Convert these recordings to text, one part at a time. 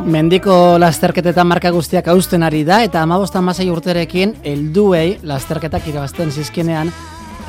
Mendiko lasterketetan marka guztiak hausten ari da eta 15-16 urterekin helduei lasterketak irabazten zizkienean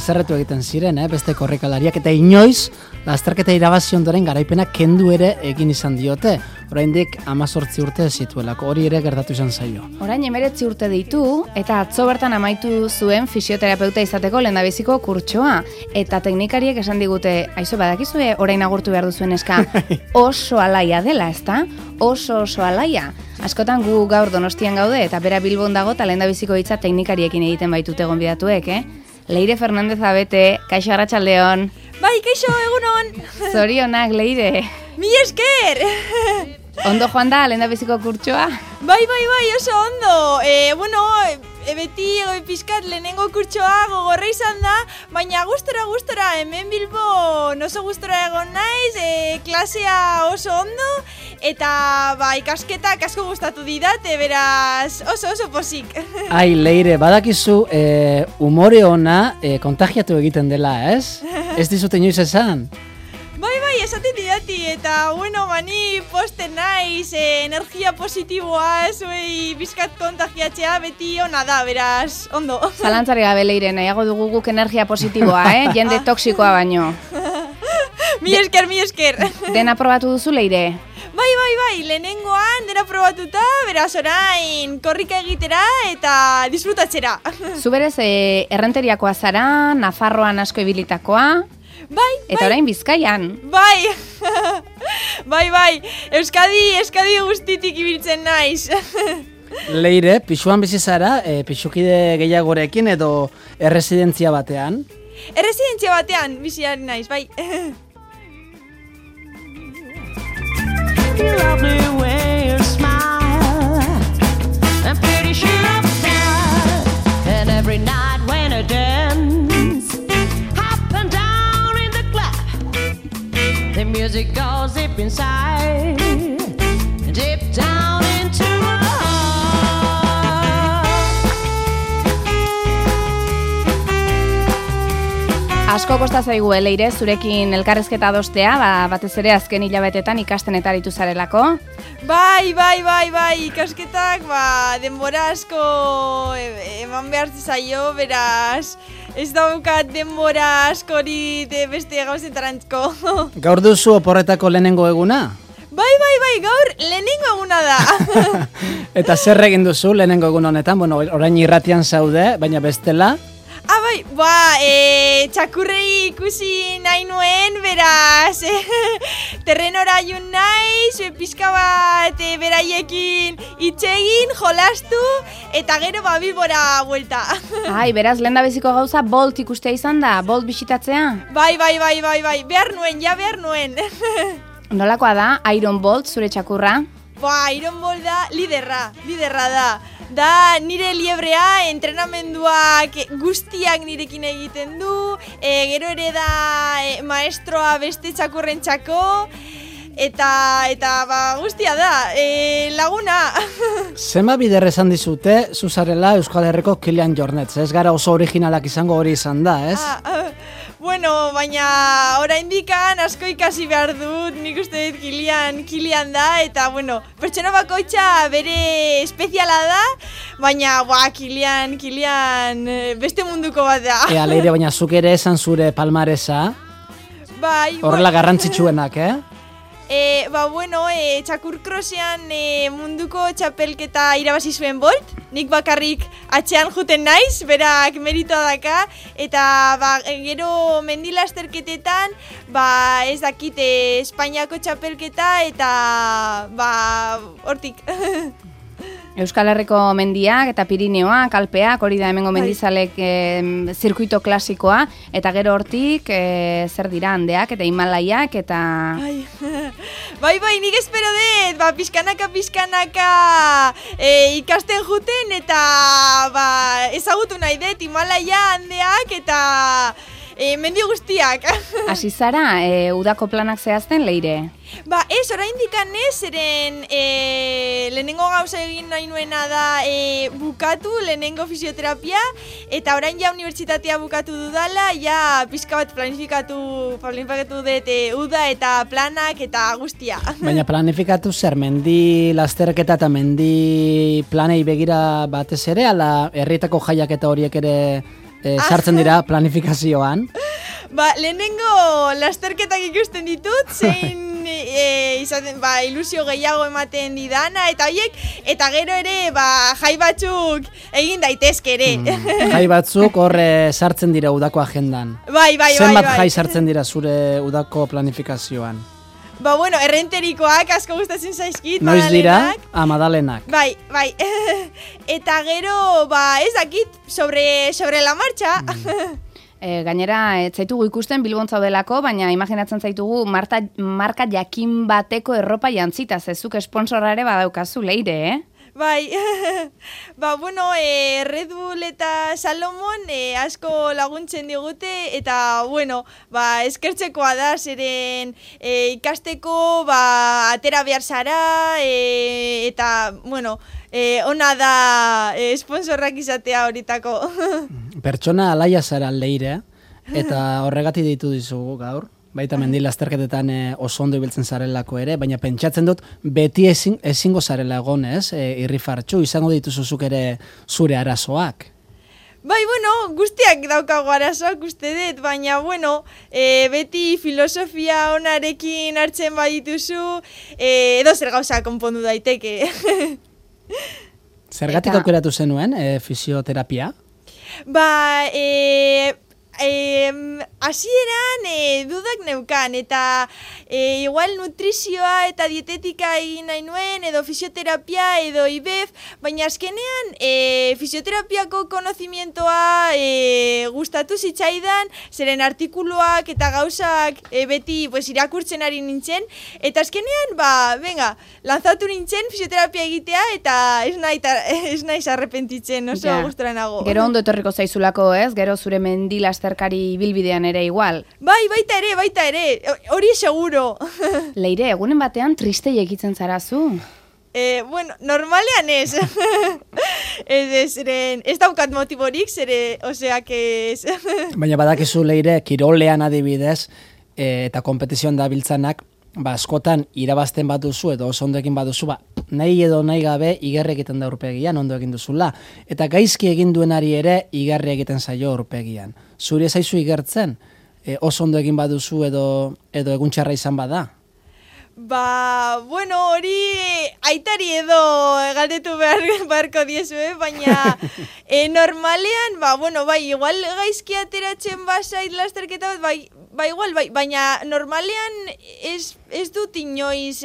haserretu egiten ziren, beste korrikalariak eta inoiz lasterketa irabazi ondoren garaipena kendu ere egin izan diote. Oraindik 18 urte zituelako, hori ere gertatu izan zaio. Orain 19 urte ditu eta atzo bertan amaitu zuen fisioterapeuta izateko lehendabiziko kurtsoa. Eta teknikariek esan digute, aizu badakizue orain agurtu behar duzuen eska, oso alaia dela, ezta? Oso alaia. Askotan gu gaur Donostian gaude eta bera Bilbon dago eta lehendabiziko hitza teknikariekin egiten baitute gonbidatuek, Leire Fernandez Abete, kaixo arratsaldeon. Bai, kaixo, egunon. Zorionak, Leire. Mi esker. Ondo joan da, lehendabiziko kurtsoa? Bai, oso ondo. Beti pizkat lehenengo kurtsoa gogorra izan da, baina gustora, hemen Bilbon oso gustora egon naiz, klasea oso ondo, eta ikasketak asko gustatu didate, beraz oso posik. Ai, Leire, badakizu umore ona kontagiatu egiten dela, ez? Ez dizute inoiz esan? Bai, esaten didati, eta mani posten naiz, energia positiboa, zuei bizkat kontagiatzea beti ona da, beraz, ondo. Zalantzari gabe, Leire, nahiago dugu guk energia positiboa, jende toksikoa baino. Mi esker. Dena probatu duzu, Leire? Bai, lehenengoan dena probatuta, beraz orain korrika egitera eta disfrutatzera. Zu berez, errenteriakoa zara, Nafarroan asko ibilitakoa, eta orain Bizkaian. Bai, Euskadi guztitik ibiltzen naiz. Leire, pixuan bizi zara, pixukide gehiagorekin edo erresidentzia batean? Erresidentzia batean biziaren naiz, bai. You love the way you smile. I'm pretty sure I'm fine. And every night when I dance, up and down in the club, the music goes deep inside, deep down into my heart. Asko kosta zaigu, Leire, zurekin elkarrezketa adostea, batez ere azken hilabetetan ikasten eta aritu zarelako. Bai, ikasketak, denbora asko eman behar zaio, beraz, ez daukat denbora askori beste gauzetarantko. Gaur duzu oporretako lehenengo eguna? Bai, gaur lehenengo eguna da. Eta zer egin duzu lehenengo egun honetan? Orain irratian zaude, baina bestela? Txakurrei ikusi nahi nuen, beraz, terrenora jun naiz, pizka bat beraiekin itxegin, jolastu, eta gero Bilbora buelta. Ai, beraz, lehendabiziko gauza Bolt ikustea izan da, Bolt bisitatzea? Bai, behar nuen. Nolakoa da, Iron Bolt, zure txakurra? Iron Bolt da, liderra da. Da nire liebrea, entrenamenduak guztiak nirekin egiten du, gero ere da maestroa beste txakurren txako, eta guztia da, laguna. Zema bider esan dizute, zuzarela Euskal Herriko Kilian Jornet, ez gara oso originalak izango hori izan da, ez? Baina oraindikan asko ikasi behar dut, nik uste dut Kilian da, eta pertsona bakoitza bere espeziala da, baina Kilian beste munduko bat da. Leire, baina zuk ere esan zure palmaresa? Bai. Horrela garrantzitsuenak, txakurkrosean munduko txapelketa irabazi zuen Bolt, nik bakarrik atxean juten naiz, berak meritoa daka, eta gero mendilasterketetan, ez dakit Espainiako txapelketa, eta hortik. Euskal Herriko mendiak eta Pirineoak, Alpeak, hori da hemengo mendizalek zirkuito klasikoa, eta gero hortik zer dira Andeak eta Himalaiak eta... Bai, nik espero dut, pizkanaka ikasten juten eta ezagutu nahi dut Himalaia, Andeak eta mendi guztiak. Hasi zara, udako planak zehazten, Leire? Ez, oraindik ez, zeren lehenengo gauza egin nahi nuena da bukatu lehenengo fisioterapia, eta orain ja unibertsitatea bukatu dudala, ja pizka bat planifikatu dut uda eta planak eta guztia. Baina planifikatu zer, mendi lasterketa eta mendi planei begira batez ere, ala herrietako jaiak eta horiek ere sartzen dira planifikazioan? Ba, lehenengo lasterketak ikusten ditut, zein izaten, ilusio gehiago ematen didana, eta horiek, eta gero ere, jai batzuk egin daitezke ere. Jai batzuk horre sartzen dira udako agendan. Bai. Zenbat jai sartzen dira zure udako planifikazioan? Ba, bueno, errenterikoak asko gustatzen zaizkit, Noiz dira? Madalenak. Bai. Eta gero, ez dakit, sobre la marcha. Gainera, ez zaitugu ikusten Bilbon zaudelako, baina imaginatzen zaitugu marka jakin bateko erropa jantzita, zezuk esponsorra ere badaukazu, Leire, Bai, bueno, Red Bull eta Salomon asko laguntzen digute, eta, bueno, eskertzekoa da, zeren ikasteko, atera behar zara, eta, bueno, ona da sponsorrak izatea horitako. Pertsona alaia zara, Leire, eta horregatik ditu dizugu gaur. Baita mendi lasterketetan oso ondo ibiltzen zarelako ere, baina pentsatzen dut beti ezingo zarela egon, irrifartxu, izango dituzuzuk ere zure arazoak. Bai, bueno, guztiak daukago arazoak uste dut, baina, bueno, beti filosofia onarekin hartzen badituzu, edo zer gauza konpondu daiteke. Zergatik aukeratu zenuen fisioterapia? Hasieran dudak neukan, eta igual nutrizioa eta dietetika egin nahi nuen, edo fisioterapia, edo IBEF, baina azkenean fisioterapiako konozimientoa gustatu zitzaidan, zeren artikuluak eta gauzak beti irakurtzen ari nintzen, eta azkenean, lanzatu nintzen fisioterapia egitea, eta ez naiz arrepentitzen, oso gustora nago. Gero ondo etorriko zaizulako, ez? Gero zure mendi lasterkari bilbidean ere igual. Bai, baita ere, hori seguro. Leire, egunen batean triste egitzen zarazu? Bueno, normalean ez. Ez daukat motiborik, osea que ez. Baina badakizu, Leire, kirolean adibidez, eta kompetizioan dabiltzanak, askotan irabazten baduzu edo oso ondo egin baduzu, nahi edo nahi gabe igarri egiten da aurpegian, ondo egin duzula. Eta gaizki egin duenari ere igarri egiten zaio aurpegian. Zuri zaizu igertzen, oso ondo egin baduzu edo egun txarra izan bada? Bueno, hori aitari edo galdetu beharko diezue, baina normalean, igual gaizki ateratzen bazait lasterketa bat, igual, baina normalean ez dut inoiz,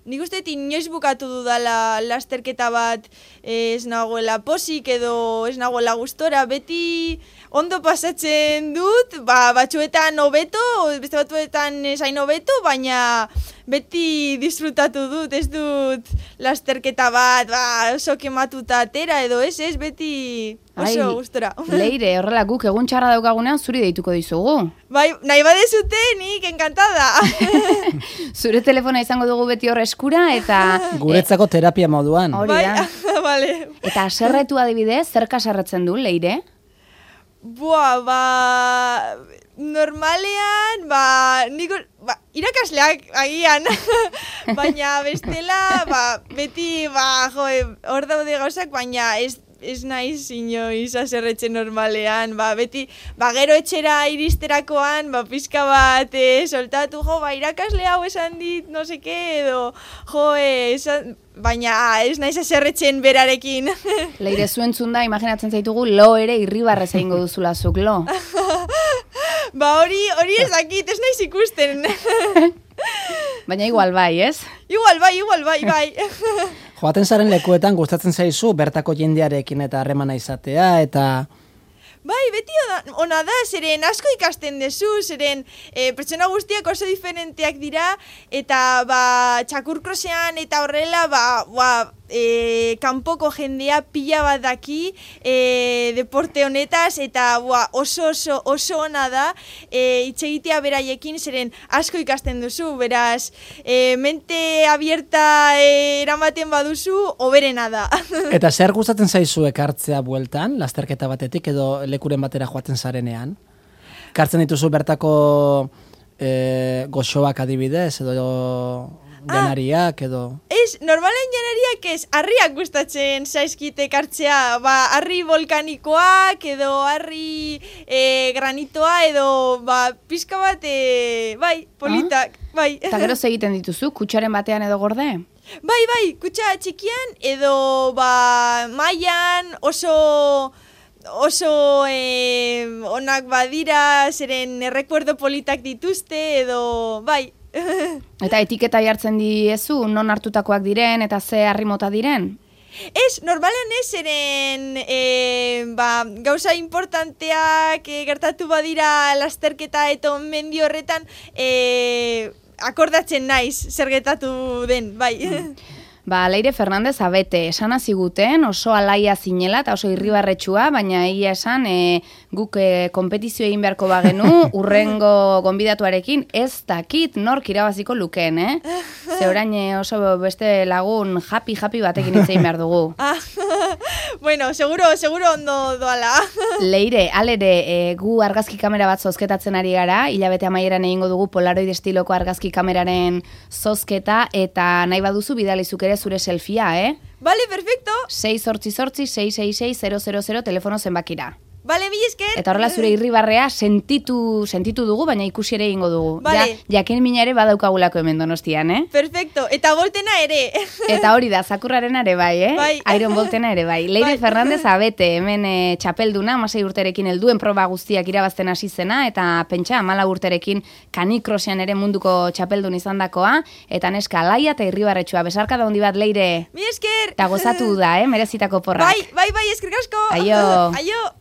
nik uste inoiz bukatu dudala lasterketa bat, ez nagoela posik edo ez nagoela gustora, beti ondo pasatzen dut, batzuetan hobeto, beste batzuetan esain hobeto, baina beti disfrutatu dut, ez dut lasterketa bat, oso kematuta atera edo ez, beti oso gustora. Leire, horrela guk egun txarra daukagunean zuri deituko dizugu. Bai, nahi badezute, nik encantada. Zure telefona izango dugu beti horre eskura, eta... Guretzako terapia moduan. Hori da. Vale. Eta aserretu adibidez, zerka aserretzen du, Leire? Normalean, irakasleak agian, baina bestela, beti, hor daude gauzak, baina ez naiz inoiz aserretzen normalean, beti, gero etxera iristerakoan, pizka bat soltatu, irakasle hau esan dit, no seke, edo, baina ez naiz aserretzen berarekin. Leire, zuentzun da, imaginatzen zaitugu, lo ere irribarrez egingo duzula zuk, lo? Hori ez dakit, ez naiz ikusten. Baina igual bai, ez? Igual bai. Joaten zaren lekuetan gustatzen zaizu bertako jendearekin eta harremana izatea, eta... Bai, beti ona da, zeren asko ikasten dezu, zeren pertsona guztiak oso diferenteak dira, eta txakurkrosean eta horrela, kanpoko jendea pila bat daki deporte honetaz, eta oso ona da itxegitea beraiekin, zeren asko ikasten duzu, beraz, mente abierta eramaten baduzu, oberena da. Eta zer gustatzen zaizu ekartzea bueltan, lasterketa batetik edo lekuren batera joaten zarenean? Kartzen dituzu bertako goxoak adibidez, edo janariak, edo... Normalen janariak harriak gustatzen zaizkite kartzea, harri volkanikoak, edo harri granitoa, edo pizka bat, politak, bai. Eta gero egiten dituzu, kutsaren batean edo gorde? Bai, kutsa txikian, edo mailan oso onak badira, zeren errekuerdo politak dituzte, edo bai. Eta etiketa jartzen diezu, non hartutakoak diren, eta ze harri mota diren? Normalen zeren gauza importanteak gertatu badira lasterketa eta mendi horretan akordatzen naiz zer gertatu den, bai. Leire Fernandez abete, esan ziguten oso alaia zinela eta oso irribarretsua, baina egia esan guk konpetizio egin beharko bagenu, urrengo gonbidatuarekin ez dakit nork irabaziko lukeen, Ze orain oso beste lagun happy batekin hitz egin behar dugu. Bueno, seguro ondo doala. Leire, alere, gu argazki kamera bat zozketatzen ari gara, hilabete amaieran egingo dugu Polaroid estiloko argazki kameraren zozketa, eta nahi baduzu bidalizuk ere zure selfia, Vale, perfecto. 688-666-000 telefono zenbakira. Vale, mila esker. Eta horrela zure irribarrea sentitu dugu, baina ikusi ere egingo dugu. Vale. Jakin mina ere badaukagulako hemen Donostian, Perfecto. Eta Boltena ere. Eta hori da, Zakurraren ere bai, Bai. Iron Boltena ere bai. Leire Bai. Fernandez abete, hemen txapelduna, 16 urterekin helduen proba guztiak irabazten hasi zena, eta pentsa, 14 urterekin kanikrosean ere munduko txapeldun izandakoa, eta neska laia eta irribarretsua. Besarka da handi bat, Leire. Mila esker. Eta gozatu da, merezitako porrak. Bai, eskerrik asko. Aio. Aio.